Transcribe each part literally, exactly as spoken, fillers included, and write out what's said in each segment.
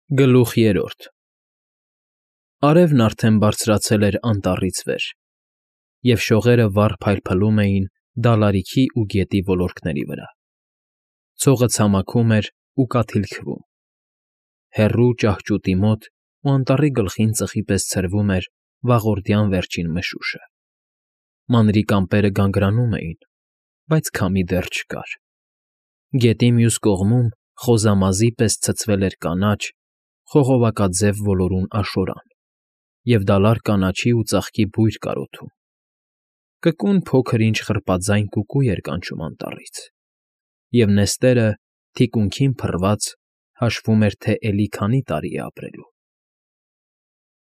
Գլուխ երրորդ Արևն արդեն բարձրացել էր անտառից վեր, և շողերը վառ փայլփլում էին դալարիքի ու գետի ոլորտների վրա, ցողը ցամաքում էր ու կաթիլքվում, հեռու ճահճուտի մոտ ու անտառի գլխին ծխի պես ցրվում էր վաղորդյան վերջին մշուշը, մանրիկ ամպերը գանգրանում էին, բայց քամի դեռ չկար, գետի մյուս կողմում խոզամազի պես ցցվել էր կանաչ, խողովակաձև ոլորուն աշորան, և դալար կանաչի ու ծաղկի բույր կար օդում, կկուն փոքր֊ինչ խռպաձայն կուկու էր կանչում անտառից, և նեստերը, թիկունքին փռված, հաշվում էր, թե էլի քանի տարի է ապրելու։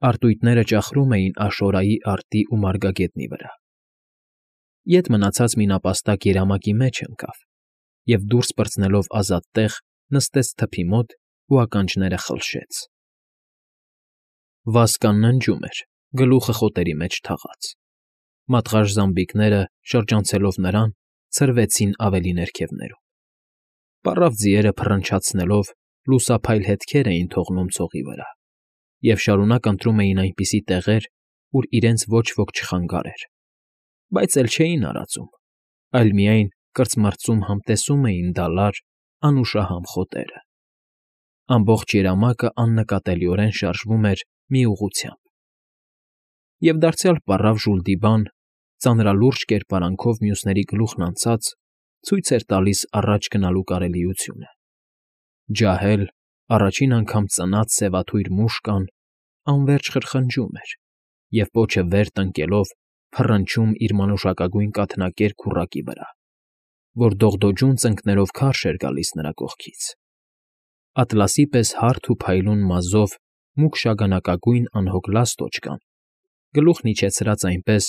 Արծույթները ճախրում էին աշորայի արդի ու մարգագետնի վրա։ Ետ մնացած մի նապաստակ երամակի մեջ ընկավ և, դուրս պրծնելով ազատ տեղ, նստեց թփի մոտ ու ականջները խլշեց։ Վասկան ննջում էր, գլուխը խոտերի մեջ թաղած։ Մատղաշ զամբիկները, շրջանցելով նրան, ցրվեցին ավելի ներքևներում։ Պառավ ձիերը փռնչացնելով լուսափայլ հետքեր էին թողնում ցողի վրա և շարունակ ընտրում էին այնպիսի տեղեր, ուր իրենց ոչ ոք չխանգարեր, բայց էլ չէին արածում, այլ միայն կրծմռծում համտեսում էին դալար, անուշահամ խոտերը։ Ամբողջ երամակը աննկատելիորեն շարժվում էր մի ուղղությամբ։ Եվ դարձյալ պառավ Ժուլդիբան, ծանրալուրջ կերպարանքով մյուսների գլուխն անցած, ցույց էր տալիս առաջ գնալու կարելիությունը։ Ջահել, առաջին անգամ ծնած սևաթույր մուշկան անվերջ խրխնջում էր և, պոչը վեր տնկելով, փռնչում իր մանուշակագույն կաթնակեր քուռակի վրա, որ դողդոջուն ծնկներով քարշ էր գալիս նրա կողքից։ Ատլասի պես հարթ ու փայլուն մազով մուգ շագանակագույն անհոգ լաստոճկան, գլուխն իջեցրած այնպես,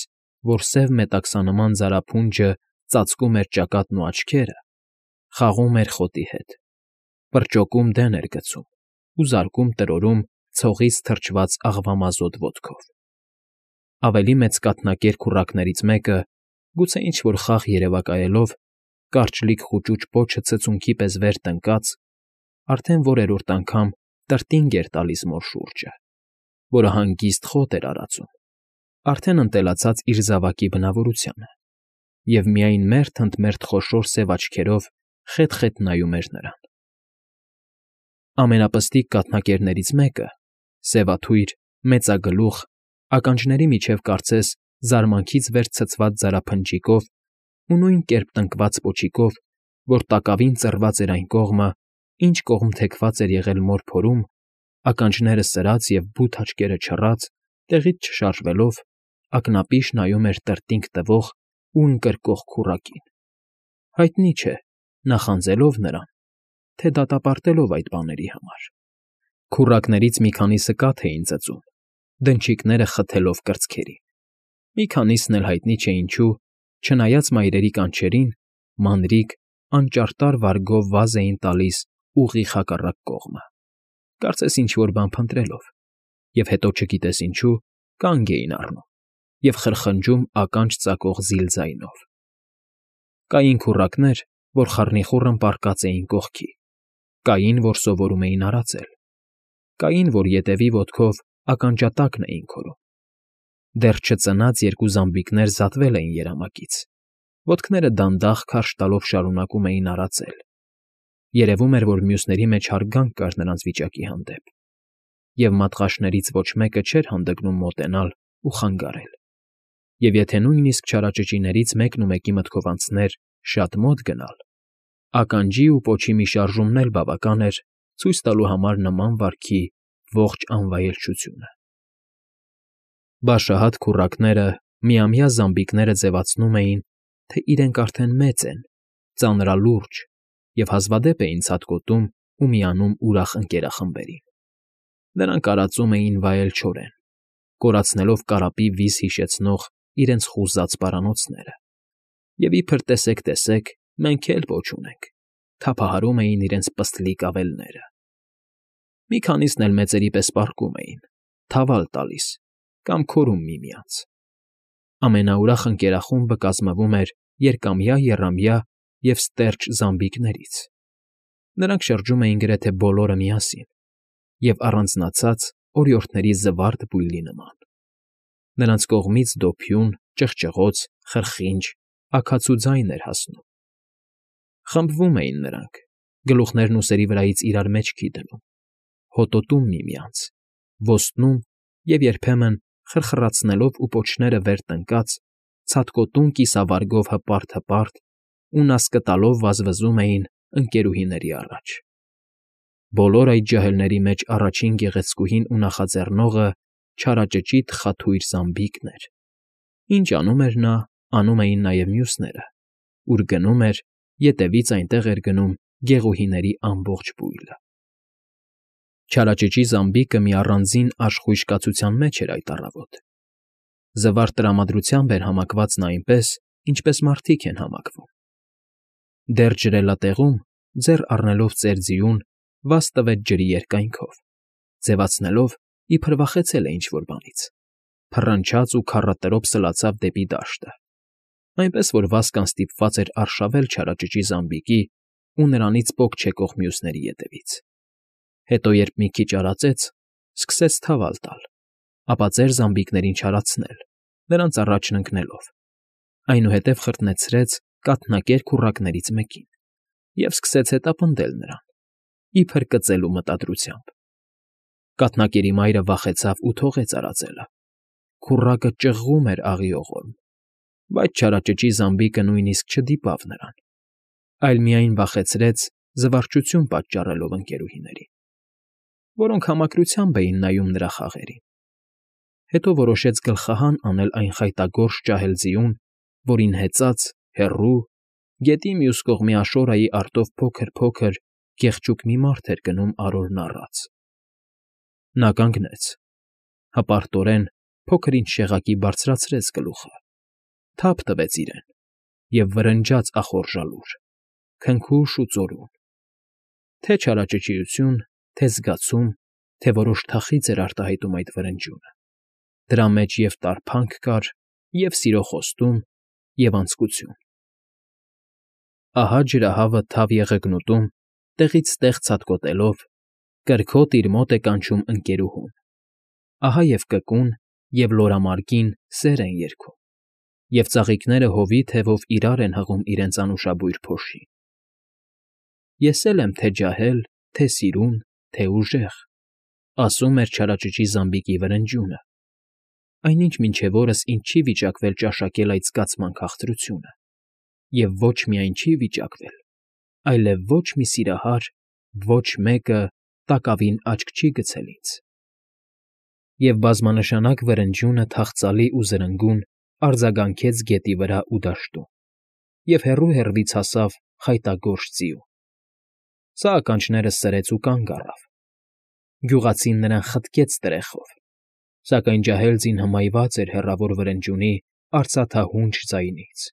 որ սև մետաքսանման ձարափունջը ծածկում էր ճակատն ու աչքերը, խաղում էր խոտի հետ, պրճոկում դեն էր գցում ու զարկում տրորում ցողից թրջված աղվամազոտ ոտքով։ Ավելի մեծ կաթնակեր քուռակներից մեկը, գուցե ինչ֊որ խաղ երևակայելով, կարճլիկ խուճուճ պոչը ցցունքի պես վեր տնկած, արդեն որերորդ անգամ տրտինգ էր տալիս մոր շուրջը, որը հանգիստ խոտ էր արածում, արդեն ընտելացած իր զավակի բնավորությանը, և միայն մերթ֊ընդ մերթ խոշոր սև աչքերով խետ֊խետ նայում էր նրան։ Ամենապստիկ կաթնակերներից մեկը, սևաթույր, մեծագլուխ, ականջների միջև կարծես զարմանքից վեր ցցված ձարափնջիկով ու նույն կերպ տնկված պոչիկով, որ տակավին ծռված էր այն կողմը, ինչ կողմ թեքված էր եղել մոր փորում, ականջները սրած և բութ աչքերը չռած, տեղից չշարժվելով, ակնապիշ նայում էր տրտինգ տվող ու ընկրկող քուռակին, հայտնի չէ, նախանձելով նրան, թե դատապարտելով այդ բաների համար։ Քուռակներից մի քանիսը կաթ էին ծծում, դնչիկները խթելով կրծքերին, մի քանիսն էլ հայտնի չէ ինչու, չնայած մայրերի կանչերին, մանրիկ, անճարտար վարգով վազ էին տալիս ուղիղ հակառակ կողմը, կարծես ինչ֊որ բան փնտրելով, և հետո չգիտես ինչու, կանգ էին առնում և խրխնջում ականջ ծակող զիլ ձայնով։ Կային քուռակներ, որ խառնիխուռն պառկած էին կողքի, կային, որ սովորում էին արածել, կային, որ ետևի ոտքով ականջատակն էին քորում։ Դեռ չծնած երկու զամբիկներ զատվել էին երամակից, ոտքները դանդաղ քարշ տալով շարունակում էին արածել, երևում էր, որ մյուսների մեջ հարգանք կար նրանց վիճակի հանդեպ, և մատղաշներից ոչ մեկը չէր հանդգնում մոտենալ ու խանգարել, և եթե նույնիսկ չարաճճիներից մեկնումեկի մտքով անցներ շատ մոտ գնալ, ականջի ու պոչի մի շարժումն էլ բավական էր ցույց տալու համար նման վարքի ողջ անվայելչությունը։ Բաշահատ քուռակները, միամյա զամբիկները ձևացնում էին, թե իրենք արդեն մեծ են, ծանրալուրջ և հազվադեպ էին ցատկոտում ու միանում ուրախ ընկերախմբերին։ Նրանք արածում էին վայել չորեն, կորացնելով կարապի վիզ հիշեցնող իրենց խուզած պարանոցները, և իբր տեսեք֊տեսեք, մենք էլ պոչ ունենք, թափահարում էին իրենց պստլիկ ավելները։ Մի քանիսն էլ մեծերի պես պառկում էին, թավալ տալիս կամ քորում միմյանց։ Ամենաուրախ ընկերախումբը կազմվում էր երկամյա, եռամյա և ստերջ զամբիկներից։ Նրանք շրջում էին գրեթե բոլորը միասին, և առանձնացած օրիորդների զվարթ բույլի նման. նրանց կողմից դոփյուն, ճղճղոց, խրխինջ, աքացու ձայն էր հասնում. խմբվում էին նրանք, գլուխներն ուսերի վրայից իրար մեջքի դնում, հոտոտում միմյանց, ոստնում և երբեմն, խրխռացնելով ու պոչները վեր տնկած, ցատկոտուն կիսավարգով հպարտ֊հպարտ ու նասկտալով վազվզում էին ընկերուհիների առաջ. բոլոր այդ ջահելների մեջ առաջին գեղեցկուհին ու նախաձեռնողը չարաճճի թխաթույր զամբիկն էր. ինչ անում էր նա, անում էին նաև մյուսները, ուր գնում էր, ետևից այնտեղ էր գնում գեղուհիների ամբողջ բույլը. Չարաճճի զամբիկը մի առանձին աշխույժ կացության մեջ էր այդ առավոտ. զվարթ տրամադրությամբ էր համակված նա այնպես, ինչպես մարդիկ են համակվում. դեռ ջրելատեղում, ձեռ առնելով ծեր ձիուն, վազ տվեց ջրի երկայնքով, ձևացնելով, իբր վախեցել է ինչ֊որ բանից, փռնչաց ու քառատրոփ սլացավ դեպի դաշտը, այնպես որ վազքան ստիպված էր արշավել չարաճճի զամբիկի ու նրանից պոկ չեկող մյուսների ետևից. հետո երբ մի քիչ արածեց, սկսեց թավալ տալ, ապա ծեր զամբիկներին չարացնել, նրանց առաջն ընկնելով, այնուհետև խրտնեցրեց կաթնակեր քուռակներից մեկին և սկսեց հետապնդել նրան, իբր կծելու մտադրությամբ. կաթնակերի մայրը վախեցավ ու թողեց արածելը, քուռակը ճղղում էր աղիողորմ, բայց չարաճճի զամբիկը նույնիսկ չդիպավ նրան, այլ միայն վախեցրեց զվարճություն պատճառելով ընկերուհիներին, որոնք համակրությամբ էին նայում նրա խաղերին. հետո որոշեց գլխահան անել այն խայտագորշ ջահել ձիուն, որին հեծած, հեռու, գետի մյուս կողմի աշորայի արտով փոքր֊փոքր, գեղճուկ մի մարդ էր գնում արորն առած. նա կանգնեց, հպարտորեն փոքր֊ինչ շեղակի բարձրացրեց գլուխը, թափ տվեց իրեն և վրնջաց ախորժալուր, քնքուշ ու ծորուն. թե չարաճճիություն, թե զգացում, թե որոշ թախիծ էր արտահայտում այդ վրնջյունը, դրա մեջ և տարփանք կար, և սիրո խոստում, և անձկություն. ահա ջրահավը թավ եղեգնուտում, տեղից տեղ ցատկոտելով, կրքոտ իր մոտ է կանչում ընկերուհուն, ահա և կկուն և լորամարգին սեր են երգում, և ծաղիկները հովի թևով իրար են հղում իրենց անուշաբույր փոշին. ես էլ եմ թե ջահել, թե սիրուն, թե ուժեղ, ասում էր չարաճճի զամբիկի վրնջյունը, այնինչ մինչև օրս ինձ չի վիճակվել ճաշակել այդ զգացման քաղցրությունը, և ոչ միայն չի վիճակվել, այլև ոչ մի սիրահար, ոչ մեկը տակավին աչք չի գցել ինձ… Եվ բազմանշանակ վրնջյունը թախծալի ու զրնգուն արձագանքեց գետի վրա ու դաշտում, և հեռու֊հեռվից հասավ խայտագորշ ձիուն. սա ականջները սրեց ու կանգ առավ, գյուղացին նրան խտկեց տրեխով, սակայն ջահել ձին հմայված էր հեռավոր վրնջյունի արծաթահունչ ձայնից,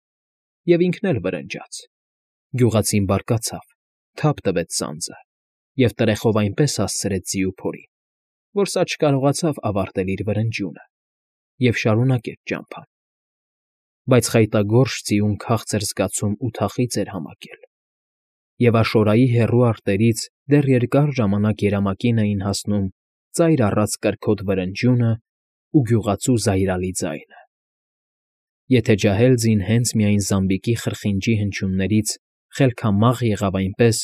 և ինքն էլ վրնջաց, գյուղացին բարկացավ, թափ տվեց ծանծը և տրեխով այնպես հասցրեց ձիու փորին, որ սա չկարողացավ ավարտել իր վրնջյունը և շարունակեց ճամփան, բայց խայտագորշ ձիուն քաղցր զգացում ու թախիծ էր համակել, և աշորայի հեռու արտերից դեռ երկար ժամանակ երամակին էին հասնում ծայր առած կրքոտ վրնջյունն ու գյուղացու զայրալի ձայնը… Եթե ջահել ձին հենց միայն զամբիկի խրխինջի հնչյուններից խելքամաղ եղավ այնպես,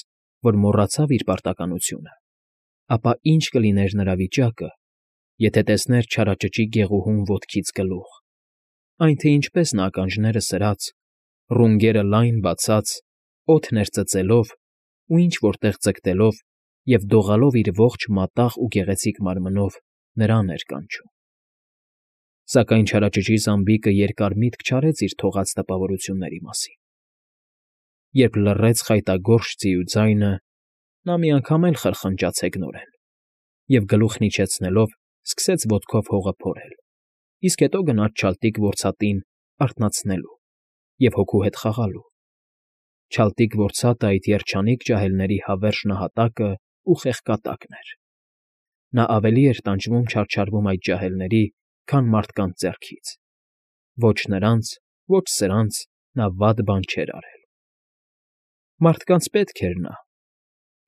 որ մոռացավ իր պարտականությունը, ապա ի՞նչ կլիներ նրա վիճակը, եթե տեսներ չարաճճի գեղուհուն ոտքից գլուխ, այն թե ինչպես նա ականջները սրած, ռունգերը լայն բացած, օդներ ծծելով ու ինչ֊որ տեղ ձգտելով և դողալով իր ողջ մատաղ ու գեղեցիկ մարմնով նրան էր կանչում… Սակայն չարաճճի զամբիկը երկար միտք չարեց իր թողած տպավորությունների մասին. երբ լռեց խայտագորշ ձիու ձայնը, նա մի անգամ էլ խրխնջաց հեգնորեն և գլուխն իջեցնելով սկսեց ոտքով հողը փորել, իսկ հետո գնաց չալտիկ որցատին արթնացնելու և հոգու հետ խաղալու. չալտիկ որցատը այդ երջանիկ ջահելների հավերժ նահատակն ու խեղկատակն էր… Նա ավելի էր տանջվում չարչարվում այդ ջահելների, քան մարդկանց ձեռքից, ոչ նրանց, ոչ սրանց նա վատ բան չէր արել… Մարդկանց պետք էր նա,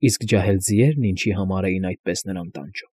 Իսկ ջահել ձիերն ինչի համար էին այդպես նրան տանջում։